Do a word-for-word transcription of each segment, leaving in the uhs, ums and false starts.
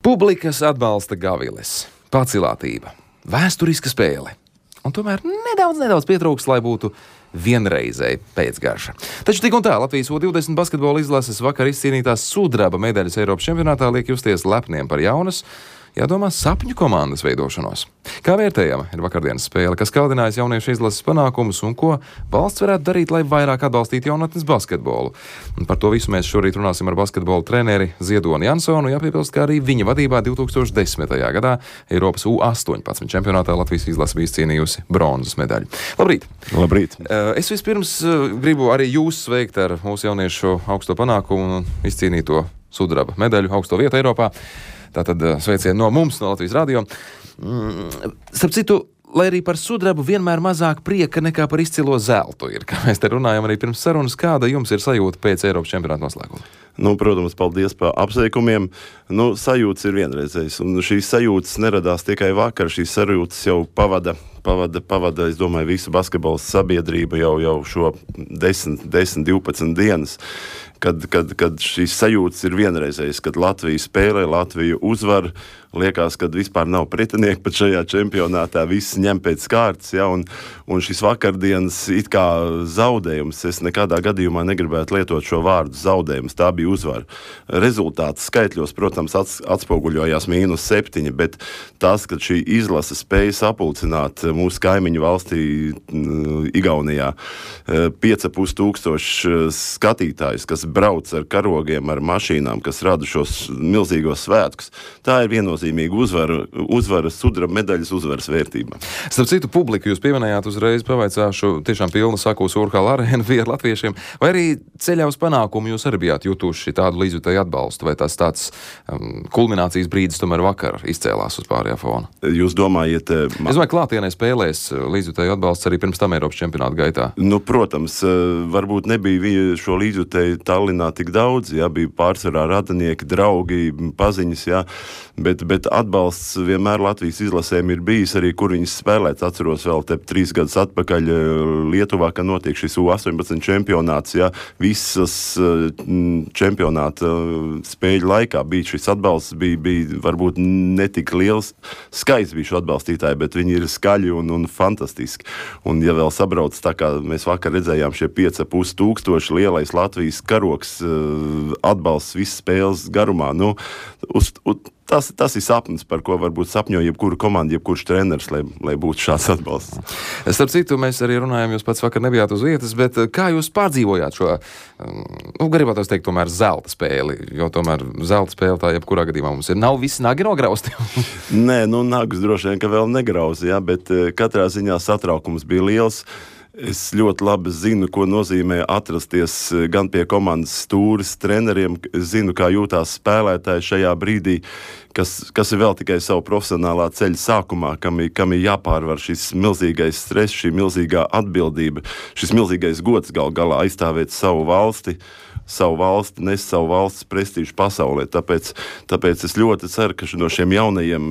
Publikas atbalsta gaviles, pacilātība, vēsturiska spēle. Un tomēr nedaudz, nedaudz pietrūks, lai būtu vienreizēji pēcgarša. Taču tik un tā Latvijas U divdesmit basketbola izlases vakar izcīnītās sudraba medaļas Eiropas čempionātā liek justies lepniem par jaunas, jādomā, sapņu komandas veidošanos. Kā vērtējama ir vakardienas spēle, kas kaldinājis jauniešu izlases panākumus un ko valsts varētu darīt, lai vairāk atbalstītu jaunatnes basketbolu? Un par to visu mēs šorīt runāsim ar basketbola treneri Ziedoni Jansonu, jāpiebilst, ka arī viņa vadībā divi tūkstoši desmitajā gadā Eiropas U astoņpadsmit čempionātā Latvijas izlase bija izcīnījusi bronzas medaļu. Labrīt! Labrīt! Es vispirms gribu arī jūs sveikt ar mūsu jauniešu augsto panākumu un izcīnīto sudraba medaļu augsto vietu Eiropā. Tātad sveicieni no mums, no Latvijas radio. Starp citu, lai arī par sudrabu vienmēr mazāk prieka nekā par izcilo zeltu ir, kā mēs te runājam arī pirms sarunas, kāda jums ir sajūta pēc Eiropas čempionāta noslēguma? Nu, protams, paldies par apsveikumiem. Nu, sajūtas ir vienreizējas, un šīs sajūtas neradās tikai vakar, šīs sajūtas jau pavada, pavada, pavada, es domāju, visu basketbola sabiedrību jau, jau šo desmit, divpadsmit dienas. Kad, kad, kad šīs sajūtas ir vienreizējas, kad Latvija spēlē, Latvija uzvar, liekas, kad vispār nav pretinieki pat šajā čempionātā, viss ņem pēc kārtas, ja, un, un šis vakardienas it kā zaudējums, es nekādā gadījumā negribētu lietot šo vārdu zaudējums, tā bija uzvara. Rezultāts skaitļos, protams, ats, atspoguļojās mīnus septiņi, bet tas, ka šī izlase spēja sapulcināt mūsu kaimiņu valstī Igaunijā pieci pus tūkstoši skatītājus, kas brauc ar karogiem, ar mašīnām, kas rada šos milzīgos svētkus. Tā ir viennozīmīga uzvara, uzvara sudraba medaļas uzvaras vērtība. Starp citu, publiku jūs pieminējāt, uzreiz pavaicāšu, tiešām pilna sakūs Urhala arēna bija ar latviešiem, vai arī ceļā uz panākumu jūs arī bijāt jutuši tādu līdzjutēju atbalstu, vai tas tāds um, kulminācijas brīdis tomēr vakar izcēlās uz pārējā fona? Jūs domājat... Ma... Es domāju, klātienē spēlēs līdzjutēju atbalsts arī pirms tam Eiropas čempionāta gaitā. Nu, protams, varbūt nebija šo līdzjutēju Tallinā tik daudz, jā, bija pārsvarā radinieki, draugi, paziņas, jā, bet, bet atbalsts vienmēr Latvijas izlasēm ir bijis arī, kur viņas spēlēt. Atceros vēl te trīs gadus atpakaļ Lietuvā, ka notiek šis U astoņpadsmit čempionāts, jā, visas čempionāta spēļu laikā bija šis atbalsts, bija, bija varbūt netik liels skaits bija šo atbalstītāji, bet viņi ir skaļi un, un fantastiski. Un ja vēl sabrauc tā, kā mēs vakar redzējām, šie pieci pus tūkstoši lielais Latvijas karoks atbalsts visas spēles garumā. Nu, uz, uz, tas, tas ir sapnis, par ko varbūt sapņo jebkura komanda, jebkurš treneris, lai, lai būtu šāds atbalsts. Starp citu, mēs arī runājam, jūs pats vakar nebijāt uz vietas, bet kā jūs pārdzīvojāt šo, nu, gribētu teikt, tomēr zelta spēli, jo tomēr zelta spēle tā jebkurā gadījumā mums ir. Nav visi nagi nograusti? Nē, nu, nagus droši vien, ka vēl negrauzi, jā, bet katrā ziņā satraukums bija liels. Es ļoti labi zinu, ko nozīmē atrasties gan pie komandas stūres treneriem, zinu, kā jūtās spēlētāji šajā brīdī, kas, kas ir vēl tikai savu profesionālā ceļa sākumā, kam ir, kam ir jāpārvar šis milzīgais stress, šī milzīgā atbildība, šis milzīgais gods gal galā aizstāvēt savu valsti, savu valsti, nes savu valsts prestīžu pasaulē. Tāpēc, tāpēc es ļoti ceru, ka no šiem jaunajiem,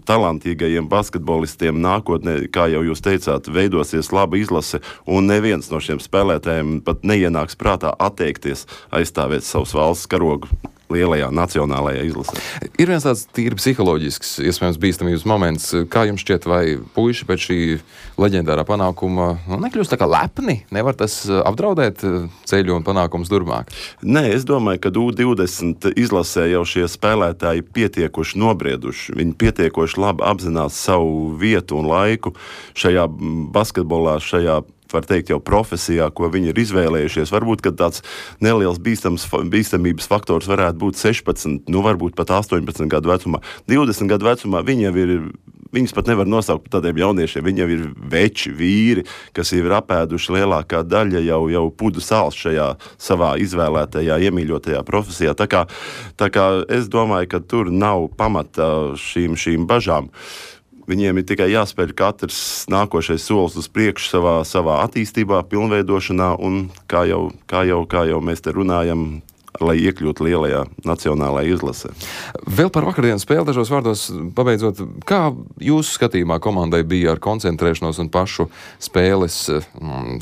talantīgajiem basketbolistiem nākotnē, kā jau jūs teicāt, veidosies laba izlase, un neviens no šiem spēlētājiem pat neienāks prātā atteikties aizstāvēt savus valsts karogu lielajā nacionālajā izlasē. Ir viens tāds tīri psiholoģisks, iespējams, bīstamības moments. Kā jums šķiet, vai puiši pēc šī leģendārā panākuma nu, nekļūst tā kā lepni? Nevar tas apdraudēt ceļu un panākumus turpmāk? Nē, es domāju, ka U divdesmit izlasē jau šie spēlētāji pietiekoši nobrieduši. Viņi pietiekoši labi apzinās savu vietu un laiku šajā basketbolā, šajā var teikt jau profesijā, ko viņi ir izvēlējušies. Varbūt, ka tāds neliels bīstams, bīstamības faktors varētu būt sešpadsmit, nu varbūt pat astoņpadsmit gadu vecumā. divdesmit gadu vecumā viņi jau ir, viņus pat nevar nosaukt par tādiem jauniešiem, viņi jau ir veči, vīri, kas jau ir apēduši lielākā daļa jau, jau pudu sāls šajā savā izvēlētajā, iemīļotajā profesijā. Tā kā, tā kā es domāju, ka tur nav pamata šīm, šīm bažām. Viņiem ir tikai jāspēļ katrs nākošais solis uz priekšu savā, savā attīstībā, pilnveidošanā, un kā jau, kā jau, kā jau mēs te runājam, lai iekļūtu lielajā nacionālajā izlasē. Vēl par vakardienas spēli dažos vārdos pabeidzot, kā jūsu skatījumā komandai bija ar koncentrēšanos un pašu spēles,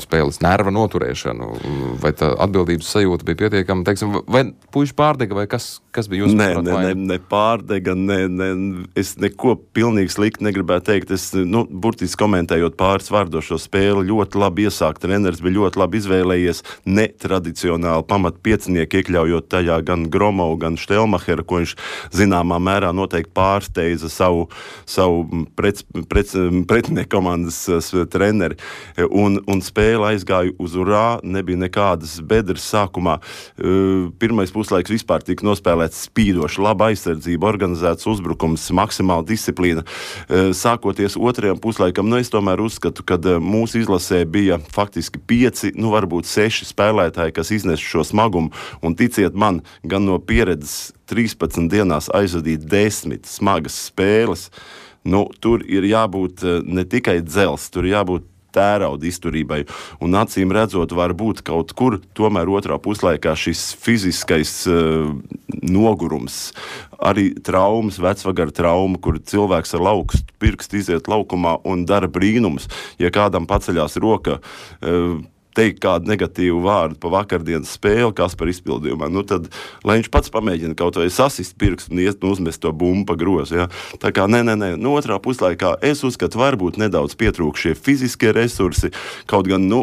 spēles nerva noturēšanu? Vai tā atbildības sajūta bija pietiekama, teiksim, vai puiši pārdega, vai kas, kas bija jūsu Nē, prāt, ne, ne, ne pārdega, ne, ne, es neko pilnīgi slikti negribētu teikt. Es, nu, burtiski komentējot pāris vārdos šo spēli, ļoti labi iesākt. Treneris bija ļoti labi izvēlējies netradicionāli pamat piecinieku, iekļaujot tajā gan Gromovu, gan Štelmacheru, ko viņš zināmā mērā noteikti pārsteidza savu, savu pret, pret, pretinieku komandas treneri. Un, un spēle aizgāja uz urā, nebija nekādas bedres sākumā. Pirmais puslaiks vispār tika nospēlēts spīdoši, laba aizsardzība, organizēts uzbrukums, maksimāla disciplīna. Sākoties otrajam puslaikam, nu es tomēr uzskatu, ka mūsu izlasē bija faktiski pieci, nu varbūt seši spēlētāji, kas iznes šo smagumu, un ticiet man, gan no pieredzes trīspadsmit dienās aizvadīt desmit smagas spēles, nu tur ir jābūt ne tikai dzels, tur ir jābūt tērauda izturībai, un acīm redzot var būt kaut kur, tomēr otrā puslaikā šis fiziskais uh, nogurums, arī traumas, vecvagara trauma, kur cilvēks ar laukstu pirkstu iziet laukumā un dara brīnumus. Ja kādam paceļās roka, uh, teikt kādu negatīvu vārdu pa vakardienas spēli, kas par izpildījumā, nu tad, lai viņš pats pamēģina kaut vai sasist pirkstu un iet un uzmest to bumbu pa grozu, ja? Tā kā, nē, nē, nē, nu otrā puslaikā es uzskatu, varbūt nedaudz pietrūk šie fiziskie resursi, kaut gan, nu,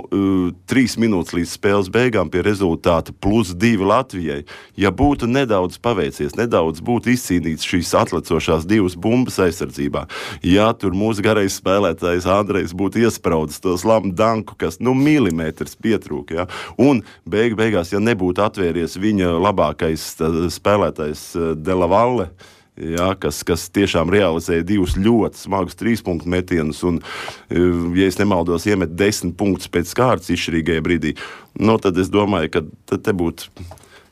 trīs minūtes līdz spēles beigām pie rezultāta plus divi Latvijai. Ja būtu nedaudz paveicies, nedaudz būtu izcīnīts šīs atlecošās divas bumbas aizsardzībā, ja tur mūsu garais spēlētājs Andrejs būtu iespraudis to slamu danku, kas, nu, milimetri pietrūk, ja? Un beig, beigās, ja nebūtu atvērties viņa labākais spēlētājs Dela Valle, ja, kas, kas tiešām realizēja divus ļoti smagus trīspunktu metienus un, ja es nemaldos, iemet desmit punktus pēc kārtas izšķirīgajā brīdī, nu, tad es domāju, ka tad te būtu,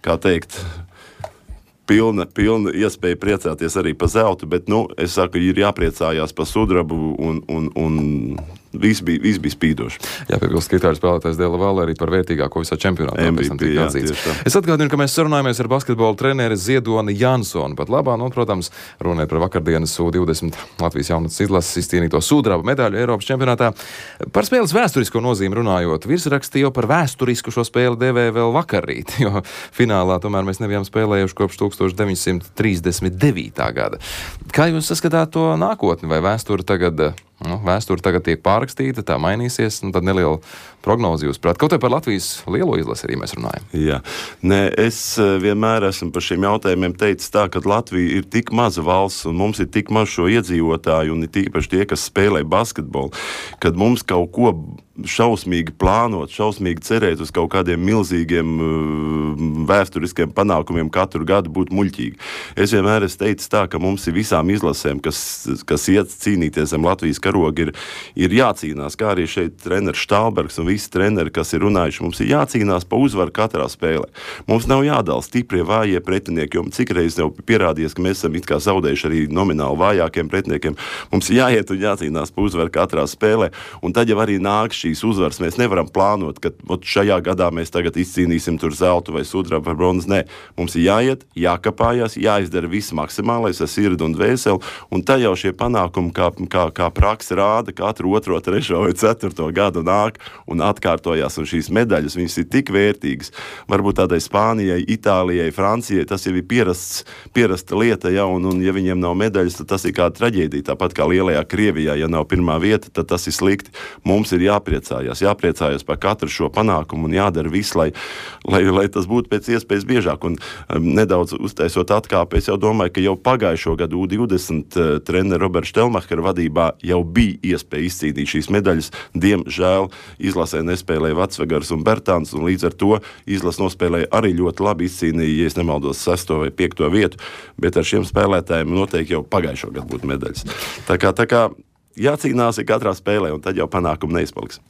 kā teikt, pilna, pilna iespēja priecāties arī pa zeltu, bet, nu, es saku, ir jāpriecājās pa sudrabu un, un, un Viss bija, viss bija spīdoši. Jā, piebilst, ka itāļu spēlētājs Dela Valle arī par vērtīgāko visā čempionātā. M V P, jā, es atgādinu, ka mēs sarunājamies ar basketbola treneri Ziedoni Jansonu. Pat labā, nu, protams, runājot par vakardienas U divdesmit Latvijas jaunatnes izlases izcīnīto sudraba medaļu Eiropas čempionātā. Par spēles vēsturisko nozīmi runājot, virsraksti jau par vēsturisku šo spēli devēja vēl vakarīt, jo finālā tomēr mēs nebijām spēlējuši kopš tūkstoš deviņsimt trīsdesmit devītā gada. Kā jūs saskatāt to nākotni? Vai vēsture tagad... Nu, vēsture tagad tiek pārrakstīta, tā mainīsies, nu tad neliela prognozi jūs prāt. Kaut vai par Latvijas lielo izlasi arī mēs runājam. Jā. Nē, es vienmēr esmu par šiem jautājumiem teicis tā, ka Latvija ir tik maza valsts un mums ir tik maz šo iedzīvotāju un ir tīpaši tie, kas spēlē basketbolu, kad mums kaut ko šausmīgi plānot, šausmīgi cerēt uz kaut kādiem milzīgiem vēsturiskiem panākumiem katru gadu būtu muļķīgi. Es vienmēr esmu teicis tā, ka mums ir visām izlasēm, kas, kas iet cīnīties zem Latvijas karoga, ir, ir jācīnās, kā arī šeit treneris Štālbergs un visi treneri, kas ir runājuši, mums ir jācīnās pa uzvaru katrā spēlē. Mums nav jādala stiprie, vājie pretinieki, jo cik reiz jau pierādījies, ka mēs esam it kā zaudējuši arī nomināli vājākiem pretiniekiem. Mums jāiet un jācīnās pa uzvaru katrā spēlē, un tad jau arī nāk šīs uzvaras. Mēs nevaram plānot, ka šajā gadā mēs tagad izcīnīsim tur zeltu vai sudrabu vai bronzu. Nē, mums ir jāiet, jākapājās, jāizdara viss maksimālais ar sirdi un dvēseli, un tad jau šie panākumi, kā, kā, kā praksa rāda, katru otro, trešo vai ceturto gadu nāk un atkārtojās, un šīs medaļas, viņas ir tik vērtīgas. Varbūt tādai Spānijai, Itālijai, Francijai, tas jau ir pierasts, pierasta lieta, ja, un, un ja viņiem nav medaļas, tad tas ir kāda traģēdija. Tāpat kā lielajā Krievijā, ja nav pirmā vieta, tad tas ir slikti. Mums ir jāpriecājās, jāpriecājās par katru šo panākumu un jādara viss, lai, lai, lai tas būtu pēc iespējas biežāk. Un um, nedaudz uztaisot atkāpi, es jau domāju, ka jau pagājušo gadu U divdesmit uh, treneru Roberta Štelmachera vadībā jau bija iespēja izcīnīt šīs medaļas. Diemžēl izlasē nespēlēja Vecvegars un Bertāns, un līdz ar to izlas nospēlēja arī ļoti labi izcīnīja, ja es nemaldos, sesto vai piekto vietu, bet ar šiem spēlētājiem noteikti jau pagājušo gadu būtu medaļas. Tā kā, tā kā jācīnās ir katrā spēlē, un tad jau panākumi neizpaliks.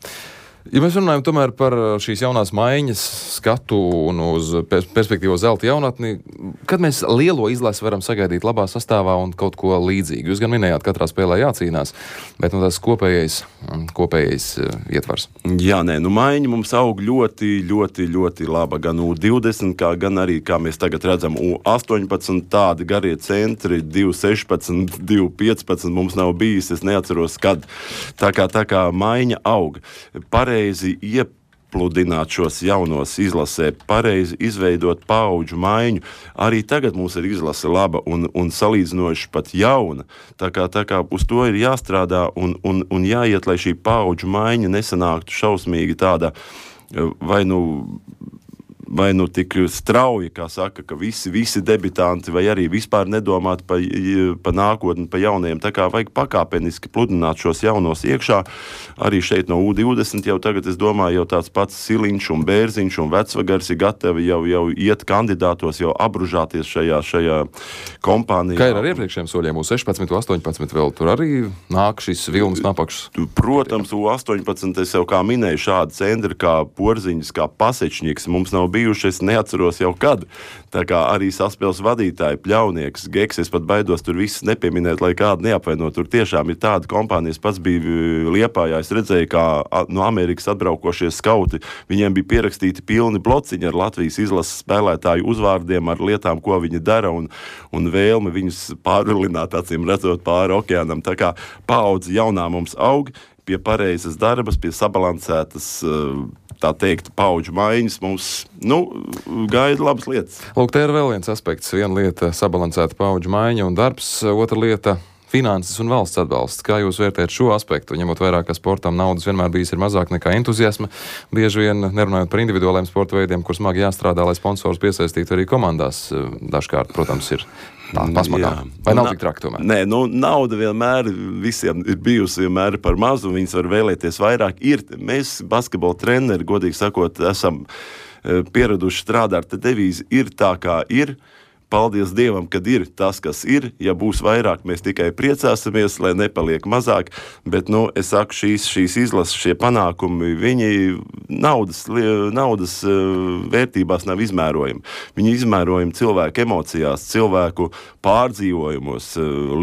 Ja mēs runājam tomēr par šīs jaunās maiņas skatu un uz perspektīvo zelta jaunatni, kad mēs lielo izlasi varam sagaidīt labā sastāvā un kaut ko līdzīgu? Jūs gan minējāt, katrā spēlē jācīnās, bet nu, tas kopējais, kopējais ietvars. Jā, nē, nu maiņa mums aug ļoti, ļoti, ļoti laba. Gan U divdesmit, kā, gan arī, kā mēs tagad redzam, U astoņpadsmit tādi garie centri, divi sešpadsmit, divi piecpadsmit mums nav bijis, es neatceros, kad. Tā kā, tā kā maiņa aug. Pareizi iepludināt šos jaunos izlasē, pareizi izveidot paudžu maiņu. Arī tagad mums ir izlase laba un, un salīdzinoši pat jauna. Tā kā, tā kā uz to ir jāstrādā un, un, un jāiet, lai šī paudžu maiņa nesanāktu šausmīgi tāda, vai nu... vai nu tik strauji, kā saka, ka visi, visi debitanti vai arī vispār nedomāt pa, pa nākotni, pa jaunajiem. Tā kā vajag pakāpeniski pludināt šos jaunos iekšā. Arī šeit no U divdesmit jau tagad, es domāju, jau tāds pats Siliņš un Bērziņš un Vecvagars ir gatavi jau, jau iet kandidātos, jau apbružāties šajā, šajā kompānijā. Kā ir ar iepriekšējiem soļiem? U sešpadsmit, U astoņpadsmit vēl tur arī nāk šis vilnis napakšs? Protams, U astoņpadsmit es jau kā minēju, šādi centri kā Porziņas, kā Pasečņiks mums nav bijuši, es neatceros jau kad. Tā kā arī saspēles vadītāji, Pļaunieks, Geks, es pat baidos tur visus nepieminēt, lai kādu neapvainot. Tur tiešām ir tāda kompānijas, pats bija Liepājā, es redzēju, kā no Amerikas atbraukošie skauti, viņiem bija pierakstīti pilni blociņi ar Latvijas izlases spēlētāju uzvārdiem, ar lietām, ko viņi dara, un, un vēlmi viņus pārvilināt, acīm redzot, pāri okeānam. Tā kā paudze jaunā mums aug, pie pareizas darbas, pie sabalansētas tā teikt, paudžu maiņas mums, nu, gaida labas lietas. Lūk, te ir vēl viens aspekts. Viena lieta - sabalansēta paudžu maiņa un darbs, otra lieta - finanses un valsts atbalsts. Kā jūs vērtējat šo aspektu, ņemot vairāk, ka sportam naudas vienmēr bijis ir mazāk nekā entuziasma, bieži vien nerunājot par individuāliem sporta veidiem, kur smagi jāstrādā, lai sponsors piesaistītu arī komandās. Dažkārt, protams, ir tā pasmakā. Vai nav tik traki tomēr? Nē, nu, nauda vienmēr visiem ir bijusi vienmēr par mazu, un viņas var vēlēties vairāk. Ir, mēs, basketbola treneri, godīgi sakot, esam pieraduši strādāt, te devīzi ir tā, kā ir. Paldies Dievam, kad ir tas, kas ir. Ja būs vairāk, mēs tikai priecāsimies, lai nepaliek mazāk. Bet, nu, es saku, šīs, šīs izlases, šie panākumi, viņi naudas, naudas vērtībās nav izmērojami. Viņi izmērojami cilvēku emocijās, cilvēku pārdzīvojumos,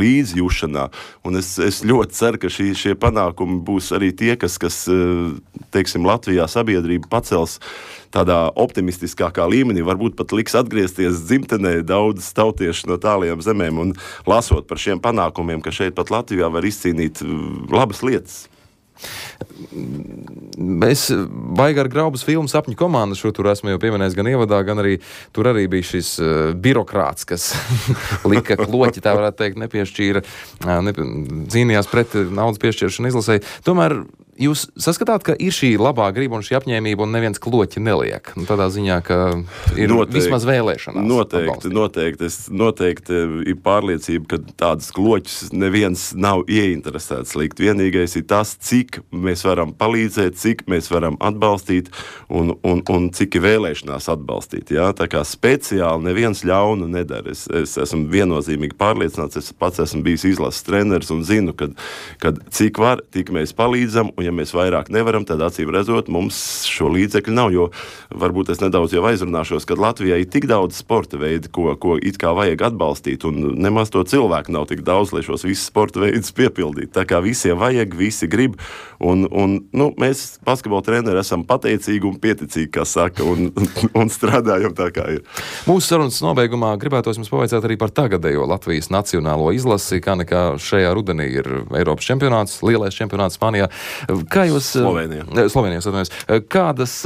līdzjūšanā. Un es, es ļoti ceru, ka šī, šie panākumi būs arī tie, kas, kas teiksim, Latvijā sabiedrība pacels tādā optimistiskākā līmenī, varbūt pat liks atgriezties dzimtenē daudz tautiešu no tālajām zemēm un lasot par šiem panākumiem, ka šeit pat Latvijā var izcīnīt labas lietas. Es baigi ar Graubas filmu Sapņu komandu, šo tur esmu jau pieminējis gan ievadā, gan arī tur arī bija šis uh, birokrāts, kas lika kloķi, tā varētu teikt, nepiešķīra, uh, ne, cīnījās pret naudas piešķiršanu izlasēji. Tomēr jūs saskatāt, ka ir šī labā griba un šī apņēmība un neviens kloķi neliek? Nu, tādā ziņā, ka ir noteikti, vismaz vēlēšanās. Noteikti, atbalstīt. noteikti. Es noteikti ir pārliecība, ka tādas kloķus neviens nav ieinteresēts likt. Vienīgais ir tas, cik mēs varam palīdzēt, cik mēs varam atbalstīt un, un, un cik ir vēlēšanās atbalstīt. Ja? Tā kā speciāli neviens ļaunu nedara. Es, es esmu viennozīmīgi pārliecināts, es pats esmu bijis izlases treneris un zinu, kad, kad cik var, tik mēs palīdzam, un ja mēs vairāk nevaram, tad acīm redzot, mums šo līdzekļu nav, jo varbūt es nedaudz jau aizrunāšos, kad Latvijā ir tik daudz sporta veidi, ko, ko it kā vajag atbalstīt, un nemaz to cilvēku nav tik daudz, lai šos visus sporta veidus piepildītu. Tā kā visiem vajag, visi grib, un, un nu, mēs, basketbola treneri, esam pateicīgi un pieticīgi, kā saka, un, un strādājam tā, kā ir. Mūsu sarunas nobeigumā gribētos jums pavaicāt arī par tagadējo Latvijas nacionālo izlasi, kā nekā šajā rudenī ir Eiropas čempionāts, lielais čempionāts Spānijā. Kā jūs... Slovenijā. Slovenijā, atvainojos. Kādas,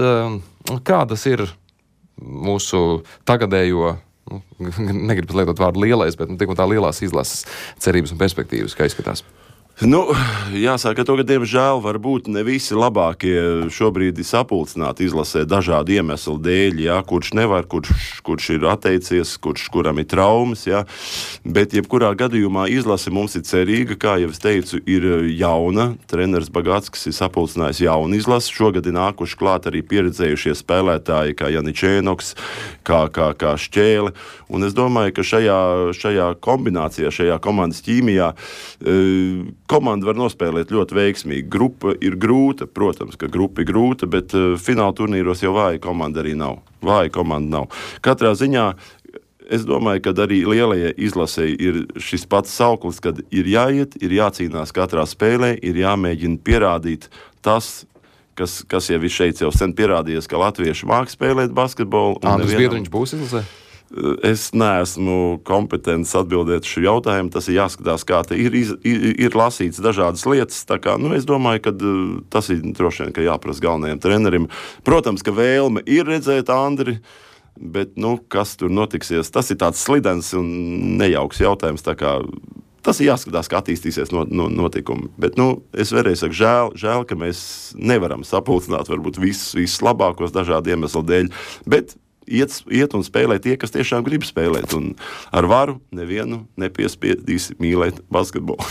kādas ir mūsu tagadējo, nu, negribu lietot vārdu lielais, bet nu, tik un tā lielās izlases cerības un perspektīvas, kā izskatās? Nu, jāsaka, to, ka diemžēl varbūt ne visi labākie šobrīd ir sapulcināti izlasē dažādu iemeslu dēļ, jā, kurš nevar, kurš, kurš ir atteicies, kurš, kuram ir traumas, jā. Bet jebkurā gadījumā izlase mums ir cerīga, kā jau es teicu, ir jauna. Treneris Bagātskis ir sapulcinājis jaunu izlasi. Šogad ir nākuši klāt arī pieredzējušie spēlētāji, kā Janičēnoks, kā, kā, kā Šķēle. Un es domāju, ka šajā, šajā kombinācijā, šajā komandas ķīmijā, komanda var nospēlēt ļoti veiksmīgi. Grupa ir grūta, protams, ka grupa ir grūta, bet uh, fināla turnīros jau vāja komanda arī nav. Vāja komanda nav. Katrā ziņā es domāju, ka arī lielajai izlasēji ir šis pats sauklis, kad ir jāiet, ir jācīnās katrā spēlē, ir jāmēģina pierādīt tas, kas, kas jau ir šeit jau sen pierādījies, ka latvieši māk spēlēt basketbolu. Andris Biedriņš būs izlasē? Es neesmu kompetents atbildēt šo jautājumu. Tas ir jāskatās, kā te ir, ir, ir lasīts dažādas lietas. Tā kā, nu, es domāju, ka tas ir droši vien, ka jāprasa galvenajam trenerim. Protams, ka vēlme ir redzēt Andri, bet, nu, kas tur notiksies, tas ir tāds slidens un nejauks jautājums. Tā kā tas ir jāskatās, kā attīstīsies no, no, notikumi. Bet, nu, es vēlreiz saku, žēl, žēl, ka mēs nevaram sapulcināt varbūt visus, visus labākos dažādu iemeslu dēļ, bet iet, iet un spēlē tie, kas tiešām grib spēlēt. Un ar varu nevienu nepiespiedīs mīlēt basketbolu.